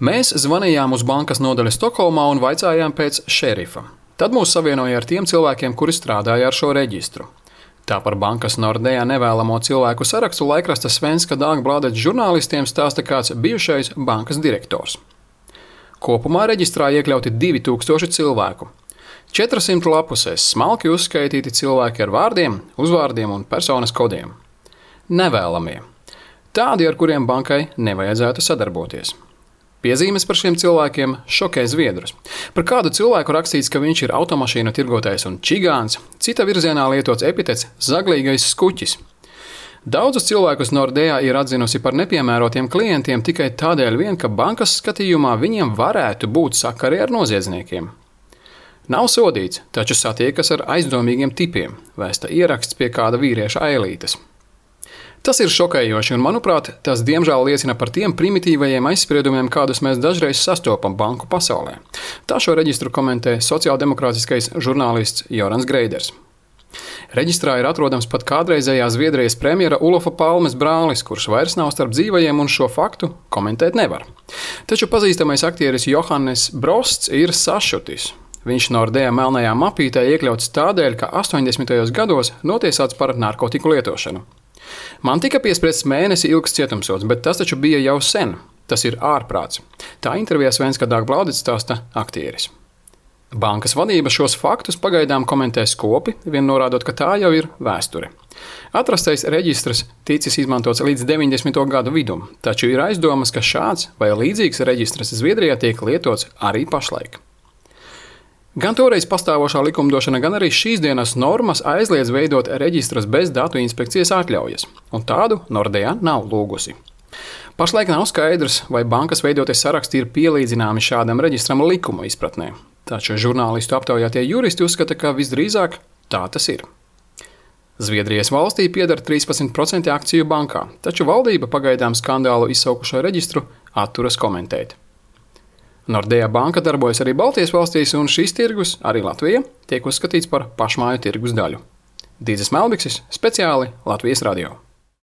Mēs zvanījām uz bankas nodaļu Stokholmā un vaicājām pēc šerifa. Tad mūs savienoja ar tiem cilvēkiem, kuri strādāja ar šo reģistru. Tā par bankas Nordea nevēlamo cilvēku sarakstu laikrasta Svenska Dagbladet žurnālistiem stāsta kāds bijušais bankas direktors. Kopumā reģistrā iekļauti 2000 cilvēku. 400 lapusēs smalki uzskaitīti cilvēki ar vārdiem, uzvārdiem un personas kodiem. Nevēlamie. Tādi, ar kuriem bankai nevajadzētu sadarboties. Piezīmes par šiem cilvēkiem šokē zviedrus. Par kādu cilvēku rakstīts, ka viņš ir automašīnu tirgotājs un čigāns, cita virzienā lietots epitets zaglīgais skuķis. Daudzus cilvēkus Nordea ir atzinusi par nepiemērotiem klientiem tikai tādēļ vien, ka bankas skatījumā viņiem varētu būt sakari ar noziedzniekiem. Nav sodīts, taču satiekas ar aizdomīgiem tipiem, vēsta ieraksts pie kāda vīrieša ailītes. Tas ir šokējoši un, manuprāt, tas diemžēl liecina par tiem primitīvajiem aizspriedumiem, kādus mēs dažreiz sastopam banku pasaulē. Tā šo reģistru komentē sociāldemokrātiskais žurnālists Jorans Greiders. Reģistrā ir atrodams pat kādreizējā Zviedrijas premjera Ulofa Palmes brālis, kurš vairs nav starp dzīvajiem un šo faktu komentēt nevar. Taču pazīstamais aktieris Johannes Brosts ir sašutis. Viņš Nordea melnajā mapītē iekļauts tādēļ, ka 80. gados notiesāts par narkotiku lietošanu. Man tika piespriests mēnesi ilgs cietumsods, bet tas taču bija jau sen. Tas ir ārprāts. Tā intervijā Svenska Dagbladet stāsta aktieris. Bankas vadība šos faktus pagaidām komentē skopi, vien norādot, ka tā jau ir vēsture. Atrastais reģistrs ticis izmantots līdz 90. gadu vidum, taču ir aizdomas, ka šāds vai līdzīgs reģistrs Zviedrijā tiek lietots arī pašlaik. Gan toreiz pastāvošā likumdošana, gan arī šīs dienas normas aizliedz veidot reģistrus bez datu inspekcijas atļaujas, un tādu Nordea nav lūgusi. Pašlaik nav skaidrs, vai bankas veidotie saraksti ir pielīdzināmi šādam reģistram likuma izpratnē. Taču žurnālistu aptaujātie juristi uzskata, ka visdrīzāk tā tas ir. Zviedrijas valstī pieder 13% akciju bankā, taču valdība pagaidām skandālu izsaukušo reģistru atturas komentēt. Nordea banka darbojas arī Baltijas valstīs, un šis tirgus, arī Latvija, tiek uzskatīts par pašmāju tirgus daļu. Dīdzis Melbiksis, speciāli Latvijas radio.